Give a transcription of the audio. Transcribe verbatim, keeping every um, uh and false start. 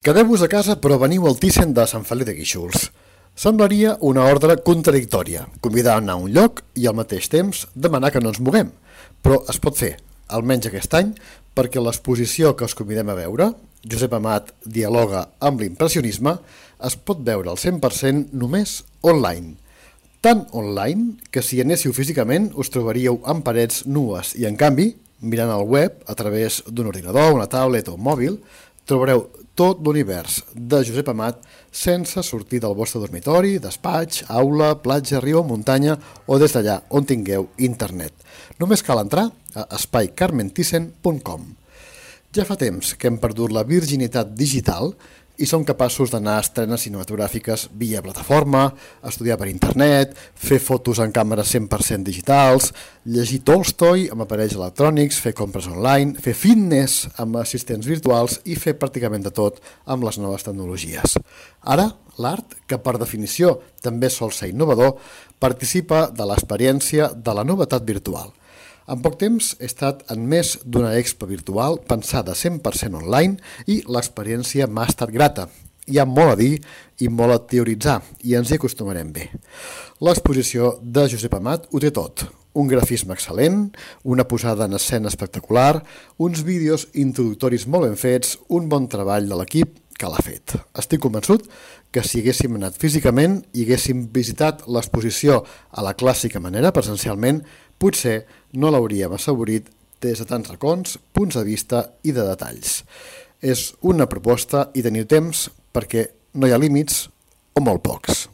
Quedeu-vos a casa però veniu al Thyssen de Sant Feliu de Guíxols. Semblaria una ordre contradictòria, convidar a anar a un lloc i al mateix temps demanar que no ens moguem. Però es pot fer, almenys aquest any, perquè l'exposició que us convidem a veure, Josep Amat dialoga amb l'impressionisme, es pot veure al cent per cent només online. Tan online que si hi anéssiu físicament us trobaríeu amb parets nues i en canvi, mirant el web a través d'un ordinador, una tablet o un mòbil, trobareu tot l'univers de Josep Amat sense sortir del vostre dormitori, despatx, aula, platja, riu o muntanya o des d'allà on tingueu internet. Només cal entrar a espai carmen thyssen punt com. Ja fa temps que hem perdut la virginitat digital i som capaços d'anar a estrenes cinematogràfiques via plataforma, estudiar per internet, fer fotos en càmeres cent per cent digitals, llegir Tolstoi amb aparells electrònics, fer compres online, fer fitness amb assistents virtuals i fer pràcticament de tot amb les noves tecnologies. Ara, l'art, que per definició també sol ser innovador, participa de l'experiència de la novetat virtual. En poc temps he estat en més d'una expo virtual pensada cent per cent online i l'experiència m'ha estat grata. Hi ha molt a dir i molt a teoritzar i ens hi acostumarem bé. L'exposició de Josep Amat ho té tot. Un grafisme excel·lent, una posada en escena espectacular, uns vídeos introductoris molt ben fets, un bon treball de l'equip que l'ha fet. Estic convençut que si haguéssim anat físicament i haguéssim visitat l'exposició a la clàssica manera, presencialment, potser no l'hauríem assaborit des de tants racons, punts de vista i de detalls. És una proposta i teniu temps perquè no hi ha límits o molt pocs.